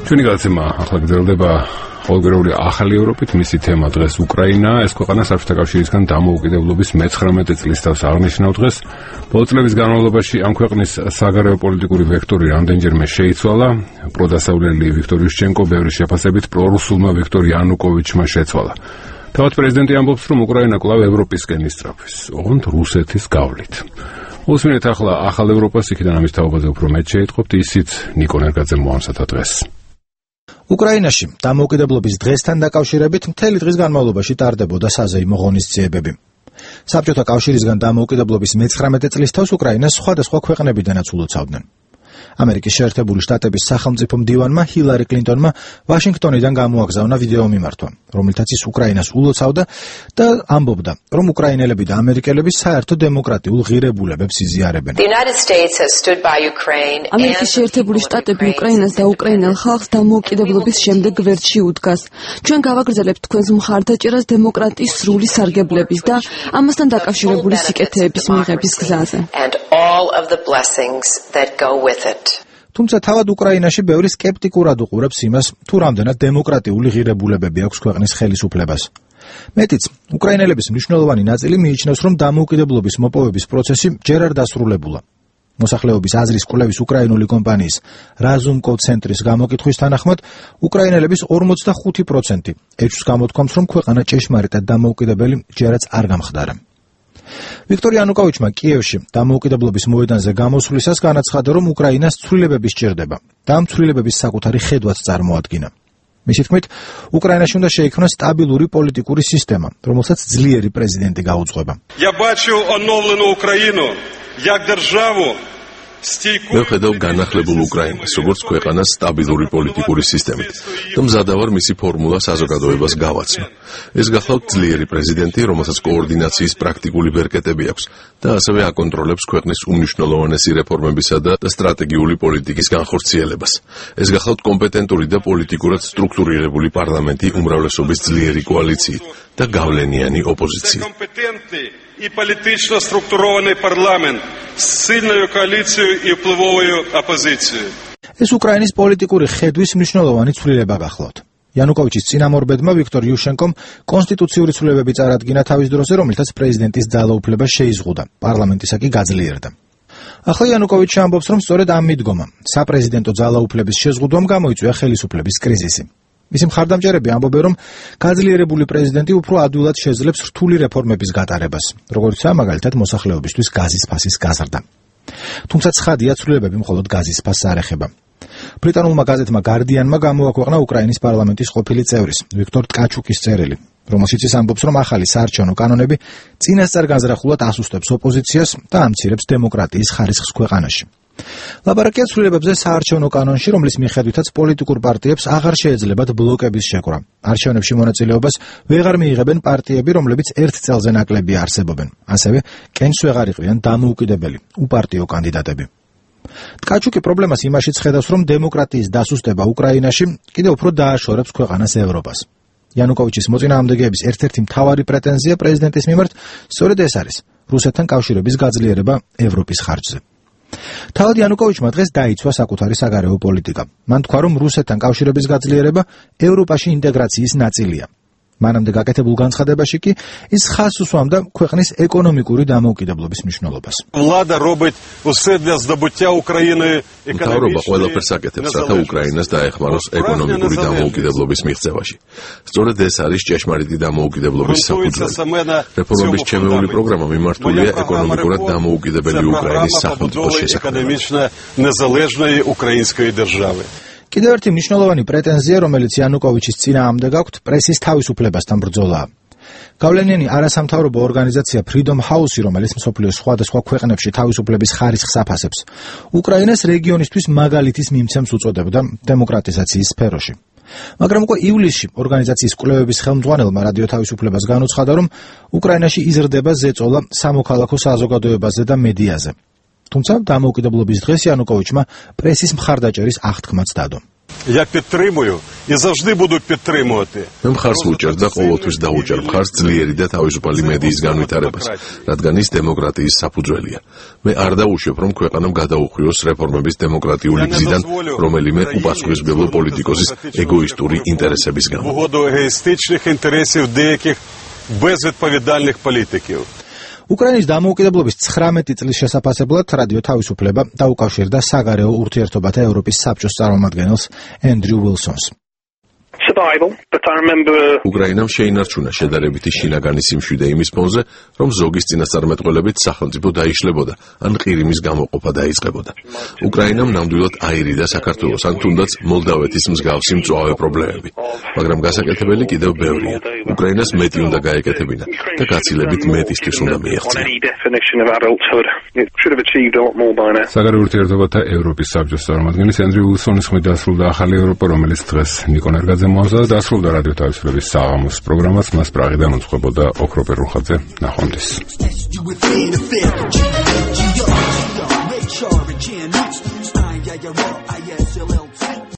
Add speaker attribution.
Speaker 1: ჩვენი გადაცემა ახლა გრძელდება ყოველგვარეული ახალი ევროპით, მისი თემა დღეს უკრაინაა. ეს ქვეყანა საბჭოთა კავშირისგან დამოუკიდებლობის 19 წლის თავს აღნიშნავ დღეს. ბოლო წლების განმავლობაში ამ ქვეყნის საგარეო პოლიტიკური ვექტორი რამდენჯერმე შეიცვალა. პროდასავლელი ვიქტორ იუშჩენკო ბევრი შეფასებით პრორუსულმა ვიქტორ იანუკოვიჩმა შეცვალა. თავად პრეზიდენტი ამბობს, რომ უკრაინა კვლავ ევროპისკენ ისწრაფვის, ოღონდ რუსეთის გავლით. უსმინეთ ახლა ახალ ევროპას, იქიდან ამის თაობაზე უფრო მეტ შეიტყობთ, ისიც ნიკო ნერგაძემ მოამზადა დღეს.
Speaker 2: უკრაინაში დამოუკიდებლობის დღესთან დაკავშირებით მთელი დღის განმავლობაში ტარდებოდა საზეიმო ღონისძიებები. საბჭოთა კავშირისგან დამოუკიდებლობის 19 წლის თავს უკრაინას სხვადასხვა ქვეყნებიდანაც ულოცავდნენ. ამერიკის შეერთებული შტატების სახელმწიფო მდივანმა ჰილარი კლინტონმა ვაშინგტონიდან გამოაგზავნა ვიდეო მიმართვა, რომლითაც ის უკრაინას ულოცავდა და ამბობდა, რომ უკრაინელები და ამერიკელები საერთო დემოკრატიულ ღირებულებებს იზიარებენ.
Speaker 3: ამერიკის შეერთებული შტატები უკრაინას და უკრაინელ ხალხს დამოუკიდებლობის შემდეგ გვერდში უდგას. ჩვენ გავაგრძელებთ თქვენს მხარდაჭერას დემოკრატიის სრული სარგებლების და ამასთან დაკავშირებული სიკეთეების მიღების გზაზე.
Speaker 2: თუმცა თავად უკრაინაში ბევრი სკეპტიკურად უყურებს იმას, თუ რამდენად დემოკრატიული ღირებულებები აქვს ქვეყნის ხელისუფლებას. მეტიც, უკრაინელების მნიშვნელოვანი ნაწილი მიიჩნევს, რომ დამოუკიდებლობის მოპოვების პროცესი ჯერ არ დასრულებულა. მოსახლეობის აზრის კვლევის უკრაინული კომპანიის Razumco ცენტრის გამოკითხვის თანახმად, უკრაინელების 45% ეჭვს გამოთქვამს, რომ ქვეყანა ჭეშმარიტად დამოუკიდებელი ჯერაც არ გამხდარა. ვიქტორ იანუკოვიჩმა კიევში დამოუკიდებლობის მოედანზე გამოსვლისას განაცხადა, რომ უკრაინას ცვლილებები სჭირდება და ამ ცვლილებების საკუთარი ხედვაც წარმოადგინა. მისი თქმით, უკრაინაში უნდა შეიქმნას სტაბილური პოლიტიკური სისტემა, რომელსაც ძლიერი პრეზიდენტი გაუძღვება.
Speaker 4: მე ვხედავ განახლებულ უკრაინას, როგორც ქვეყანას სტაბილური პოლიტიკური სისტემით და მზადა ვარ მისი ფორმულა საზოგადოებას გავაცნო. ეს გახლავთ ძლიერი პრეზიდენტი, რომელსაც კოორდინაციის პრაქტიკული ბერკეტები აქვს და ასევე აკონტროლებს ქვეყნის უმნიშვნელოვანესი რეფორმებისა და სტრატეგიული პოლიტიკის განხორციელებას. ეს გახლავთ კომპეტენტური და პოლიტიკურად სტრუქტურირებული პარლამენტი უმრავლესობის ძლიერი კოალიციით და გავლენიანი ოპოზიციით.
Speaker 5: И политично структурированный парламент с сильной коалицией и впливовой оппозицией.
Speaker 2: ეს უკრაინის პოლიტიკური ხედვის მნიშვნელოვანი ცვლილება გახლავთ. იანუკოვიჩის წინამორბედმა ვიქტორ იუშენკომ კონსტიტუციური ცვლილებები წარადგინა თავის დროზე, რომელთაც პრეზიდენტის ძალაუფლება შეიზღუდა, პარლამენტისა კი გაძლიერდა. ახლა იანუკოვიჩი ამბობს, რომ სწორედ ამ მიდგომამ საპრეზიდენტო ძალაუფლების შეზღუდვამ გამოიწვია ხელისუფლების კრიზისი. მისი მხარდამჭერები ამბობენ, რომ გაძლიერებული პრეზიდენტი უფრო ადვილად შეძლებს რთული რეფორმების გატარებას, როგორიცაა მაგალითად მოსახლეობისთვის გაზის ფასის გაზრდა. თუმცა ცხადია, ცვლილებები მხოლოდ გაზის ფასს არ ეხება. ბრიტანულმა გაზეთმა Guardian-მა გამოაქვეყნა უკრაინის პარლამენტის ყოფილი წევრის, ვიქტორ ტკაჩუკის წერილი, რომელშიც ის ამბობს, რომ ახალი საარჩევნო კანონები წინასწარ განზრახულად ასუსტებს ოპოზიციას და ამცირებს დემოკრატიის ხარისხს ქვეყანაში. ლაბარაკია ცვლილებებზე საარჩევნო კანონში, რომლის მიხედვითაც პოლიტიკურ პარტიებს აღარ შეეძლებათ ბლოკების შეკრა. არჩევნებში მონაწილეობას ვეღარ მიიღებენ პარტიები, რომლებიც ერთ წელზე ნაკლებია არსებობენ. ასევე კენს ვეღარ იყრიან დამოუკიდებელი, უპარტიო კანდიდატები. ტკაჩუკი პრობლემას იმაშიც ხედავს, რომ დემოკრატიის დასუსტება უკრაინაში კიდევ უფრო დააშორებს ქვეყანას ევროპას. იანუკოვიჩის მოწინააღმდეგეების ერთ-ერთი მთავარი პრეტენზია პრეზიდენტის მიმართ სწორედ ეს არის, რუსეთთან კავშირების გაძლიერება ევროპის ხარჯზე. თავად იანუკოვიჩმა დღეს დაიცვა საკუთარი საგარეო პოლიტიკა. მან თქვა, რომ რუსეთთან კავშირების გაძლიერება ევროპაში ინტეგრაციის ნაწილია. მანამდე გაკეთებულ განცხადებაში კი ის ხაზს უსვამდა ქვეყნის ეკონომიკური დამოუკიდებლობის მნიშვნელობას.
Speaker 4: მთავრობა ყველაფერს აკეთებს, რათა უკრაინას დაეხმაროს ეკონომიკური დამოუკიდებლობის მიღწევაში. სწორედ ეს არის ჭეშმარიტი დამოუკიდებლობის საფუძველი. რეფორმების ჩემეული პროგრამა მიმართულია ეკონომიკურად დამოუკიდებელი უკრაინის სახელმწიფოს შესაქმნელად.
Speaker 2: კიდევ ერთი მნიშვნელოვანი პრეტენზია, რომელიც იანუკოვიჩის წინააღმდეგ აქვთ, პრესის თავისუფლებასთან ბრძოლაა. გავლენიანი არასამთავრობო ორგანიზაცია Freedom House, რომელიც მსოფლიოს სხვადასხვა ქვეყნებში თავისუფლების ხარისხს აფასებს, უკრაინას რეგიონისთვის მაგალითის მიმცემს უწოდებდა დემოკრატიზაციის სფეროში. მაგრამ უკვე ივლისში ორგანიზაციის კვლევების ხელმძღვანელმა რადიო თავისუფლებას განუცხადა, რომ უკრაინაში იზრდება ზეწოლა სამოქალაქო საზოგადოებაზე და მედიაზე. თუმცა დამოუკიდებლობის დღეს იანუკოვიჩმა პრესის მხარდაჭერის აღთქმაც დადო.
Speaker 5: Я підтримую і завжди буду підтримувати.
Speaker 4: მე მხარს ვუჭერ და ყოველთვის დავუჭერ მხარს ძლიერი და თავისუფალი მედიის განვითარებას, რადგან ის დემოკრატიის საფუძველია. მე არ დავუშვებ, რომ ქვეყანამ გადაუხვიოს რეფორმების დემოკრატიული გზიდან რომელიმე უპასუხისმგებლო პოლიტიკოსის ეგოისტური ინტერესების გამო.
Speaker 5: В угоду егоїстичних інтересів деяких безвідповідальних політиків.
Speaker 2: უკრაინის დამოუკიდებლობის 19 წლის შესაფასებლად რადიო თავისუფლება დაუკავშირდა საგარეო ურთიერთობათა ევროპის საბჭოს წარმომადგენელს ენდრიუ უილსონს.
Speaker 4: უკრაინამ შეინარჩუნა შედარებითი შინაგანი სიმშვიდე იმის ფონზე, რომ ზოგის წინასწარმეტყველებით სახელმწიფო დაიშლებოდა, ან ყირიმის გამოყოფა დაიწყებოდა. უკრაინამ ნამდვილად აირიდა საქართველოს, ან თუნდაც მოლდავეთის მსგავსი მწვავე პრობლემები. მაგრამ გასაკეთებელი კიდევ ბევრია. უკრაინას მეტი უნდა გაეკეთებინა და გაცილებით მეტისთვის უნდა მიეღწია.
Speaker 1: საგარეო ურთიერთობათა ევროპის საბჭოს წარმომადგენლის ენდრიუ უილსონის ხმით დასრულდა ახალი ევროპა, რომელიც დღეს ნიკონ ერგაძემ მოამზადა. დასრულდა რადიო თავისუფლების საღამოს პროგრამაც, მას პრაღიდან უძღვებოდა ოქროპერ რუხაძე. ნახვამდის.